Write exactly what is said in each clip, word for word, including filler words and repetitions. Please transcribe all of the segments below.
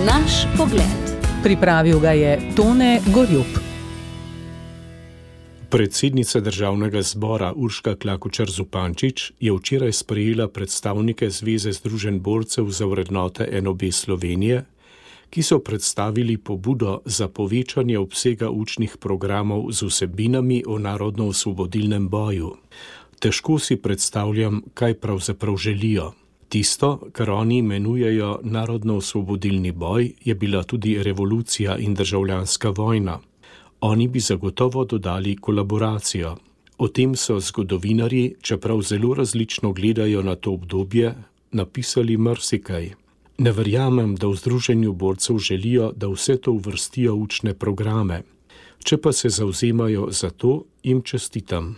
Naš pogled. Pripravil ga je Tone Gorjup. Predsednica državnega zbora Urška Klakočar Zupančič je včeraj sprejela predstavnike Zveze združenj borcev za vrednote N O B Slovenije, ki so predstavili pobudo za povečanje obsega učnih programov z vsebinami o narodno-osvobodilnem boju. Težko si predstavljam, kaj pravzaprav želijo. Tisto, kar oni imenujejo narodno-osvobodilni boj, je bila tudi revolucija in državljanska vojna. Oni bi zagotovo dodali kolaboracijo. O tem so zgodovinarji, čeprav zelo različno gledajo na to obdobje, napisali marsikaj. Ne verjamem, da v Združenju borcev želijo, da vse to uvrstijo v učne programe. Če pa se zavzemajo za to, jim čestitam.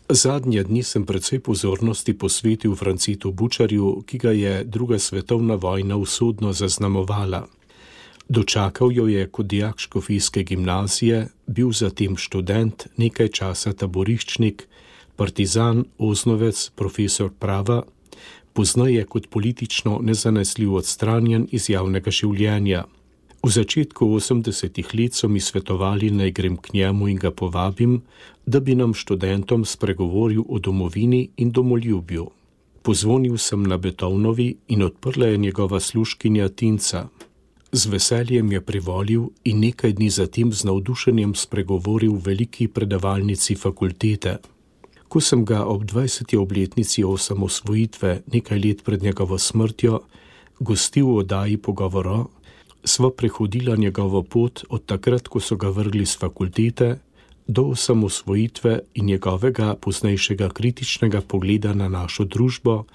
Zadnje dni sem precej pozornosti posvetil Francitu Bučarju, ki ga je druga svetovna vojna usodno zaznamovala. Dočakal jo je kot dijak škofijske gimnazije, bil zatem študent, nekaj časa taboriščnik, partizan, oznovec, profesor prava, poznaje kot politično nezanesljiv odstranjen iz javnega življenja. V začetku osemdesetih let so mi svetovali, naj grem k njemu in ga povabim, da bi nam študentom spregovoril o domovini in domoljubju. Pozvonil sem na Beethovnovi in odprla je njegova služkinja Tinca. Z veseljem je privolil in nekaj dni zatem z navdušenjem spregovoril v veliki predavalnici fakultete. Ko sem ga ob dvajseti obletnici osamosvojitve, nekaj let pred njegovo smrtjo, gostil v oddaji Pogovoro, sva prehodila njegovo pot od takrat, ko so ga vrgli z fakultete, do osamosvojitve in njegovega poznejšega kritičnega pogleda na našo družbo,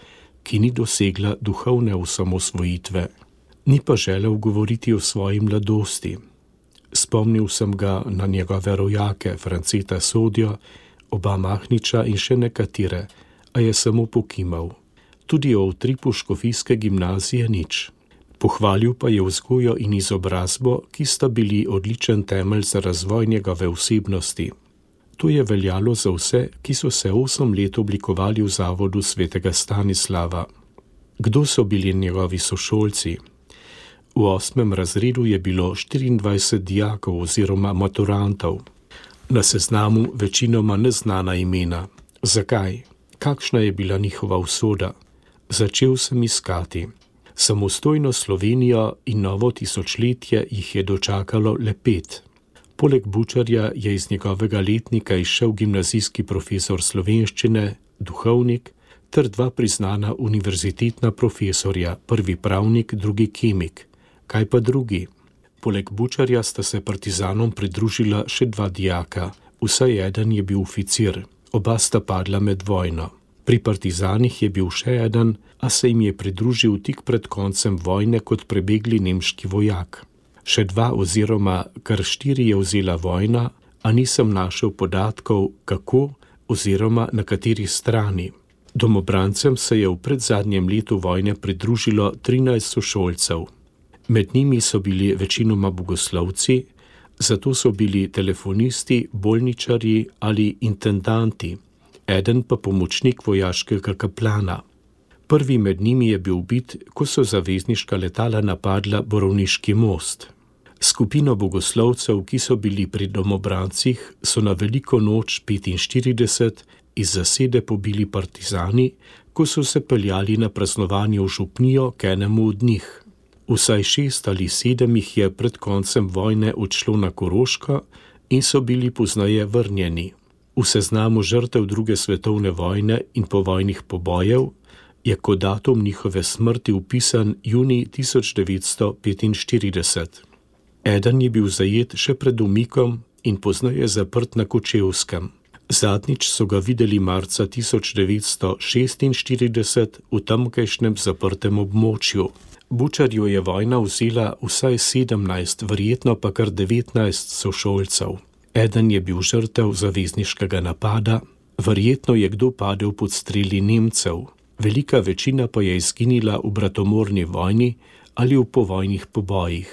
ki ni dosegla duhovne osamosvojitve. Ni pa želel govoriti o svoji mladosti. Spomnil sem ga na njegove rojake, Franceta Sodjo, oba Mahniča in še nekatere, a je samo pokimal. Tudi o utripu škofijske gimnazije nič. Pohvalil pa je vzgojo in izobrazbo, ki sta bili odličen temelj za razvoj njegove osebnosti. To je veljalo za vse, ki so se osem let oblikovali v zavodu svetega Stanislava. Kdo so bili njegovi sošolci? V osmem razredu je bilo štiriindvajset dijakov oziroma maturantov. Na seznamu večinoma neznana imena. Zakaj? Kakšna je bila njihova usoda? Začel sem iskati. Samostojno Slovenijo in novo tisočletje jih je dočakalo le pet. Poleg Bučarja je iz njegovega letnika izšel gimnazijski profesor slovenščine, duhovnik, ter dva priznana univerzitetna profesorja, prvi pravnik, drugi kemik. Kaj pa drugi? Poleg Bučarja sta se partizanom pridružila še dva dijaka, vsaj eden je bil oficir, oba sta padla med vojno. Pri partizanih je bil še eden, a se jim je pridružil tik pred koncem vojne kot prebegli nemški vojak. Še dva oziroma kar štiri je vzela vojna, a nisem našel podatkov, kako oziroma na kateri strani. Domobrancem se je v predzadnjem letu vojne pridružilo trinajst sošolcev. Med njimi so bili večinoma bogoslovci, zato so bili telefonisti, bolničarji ali intendanti, eden pa pomočnik vojaškega kaplana. Prvi med njimi je bil ubit, ko so zavezniška letala napadla Borovniški most. Skupino bogoslovcev, ki so bili pri domobrancih, so na veliko noč petinštirideset iz zasede pobili partizani, ko so se peljali na praznovanje v župnijo k enemu od njih. Vsaj šest ali sedem jih je pred koncem vojne odšlo na Koroško in so bili pozneje vrnjeni. V seznamu žrtev druge svetovne vojne in povojnih pobojev je kot datum njihove smrti upisan junij tisoč devetsto petinštirideset. Eden je bil zajet še pred umikom in pozneje zaprt na Kočevskem. Zadnjič so ga videli marca tisoč devetsto šestinštirideset v tamkajšnjem zaprtem območju. Bučarju je vojna vzela vsaj sedemnajst, verjetno pa kar devetnajst sošolcev. Eden je bil žrtev zavezniškega napada, verjetno je kdo padel pod streli Nemcev. Velika večina pa je izginila v bratomorni vojni ali v povojnih pobojih.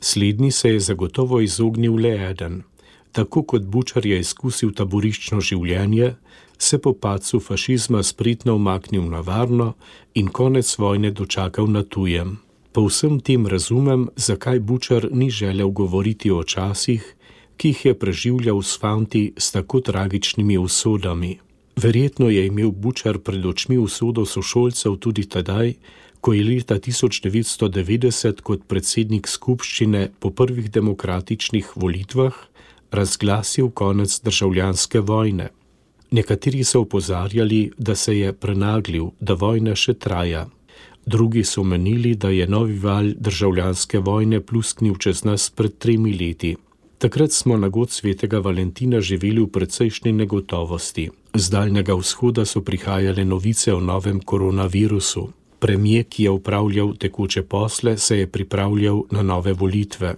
Slednji se je zagotovo izognil le eden. Tako kot Bučar je izkusil taboriščno življenje, se po padcu fašizma spretno umaknil na varno in konec vojne dočakal na tujem. Po vsem tem razumem, zakaj Bučar ni želel govoriti o časih, ki jih je preživljal s fanti s tako tragičnimi usodami. Verjetno je imel Bučar pred očmi usodo sošolcev tudi tedaj, ko je leta tisoč devetsto devetdeset kot predsednik skupščine po prvih demokratičnih volitvah razglasil konec državljanske vojne. Nekateri so opozarjali, da se je prenaglil, da vojna še traja. Drugi so menili, da je novi val državljanske vojne plusknil čez nas pred tremi leti. Takrat smo na god svetega Valentina živeli v precejšnji negotovosti. Z Daljnega vzhoda so prihajale novice o novem koronavirusu. Premijer, ki je upravljal tekoče posle, se je pripravljal na nove volitve.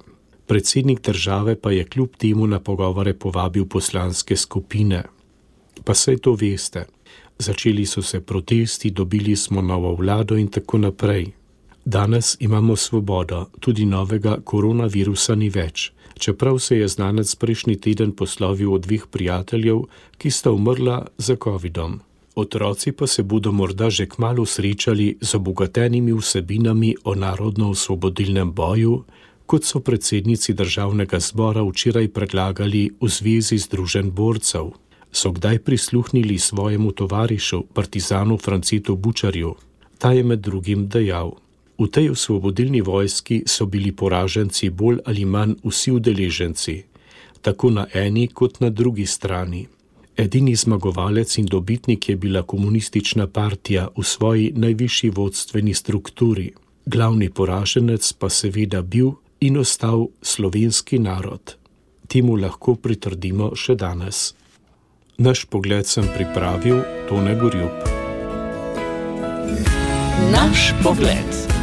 Predsednik države pa je kljub temu na pogovore povabil poslanske skupine. Pa saj to veste. Začeli so se protesti, dobili smo novo vlado in tako naprej. Danes imamo svobodo, tudi novega koronavirusa ni več, čeprav se je znanec prejšnji teden poslovil od dveh prijateljev, ki sta umrla za covidom. Otroci pa se bodo morda že kmalu srečali z obogatenimi vsebinami o narodno-osvobodilnem boju, kot so predsednici državnega zbora včeraj predlagali v Zvezi združenj borcev. So kdaj prisluhnili svojemu tovarišu, partizanu Francetu Bučarju. Ta je med drugim dejal: v tej osvobodilni vojski so bili poraženci bolj ali manj vsi udeleženci, tako na eni kot na drugi strani. Edini zmagovalec in dobitnik je bila komunistična partija v svoji najvišji vodstveni strukturi. Glavni poraženec pa seveda bil in ostal slovenski narod. Temu lahko pritrdimo še danes. Naš pogled sem pripravil Tone Gorjup. Naš pogled.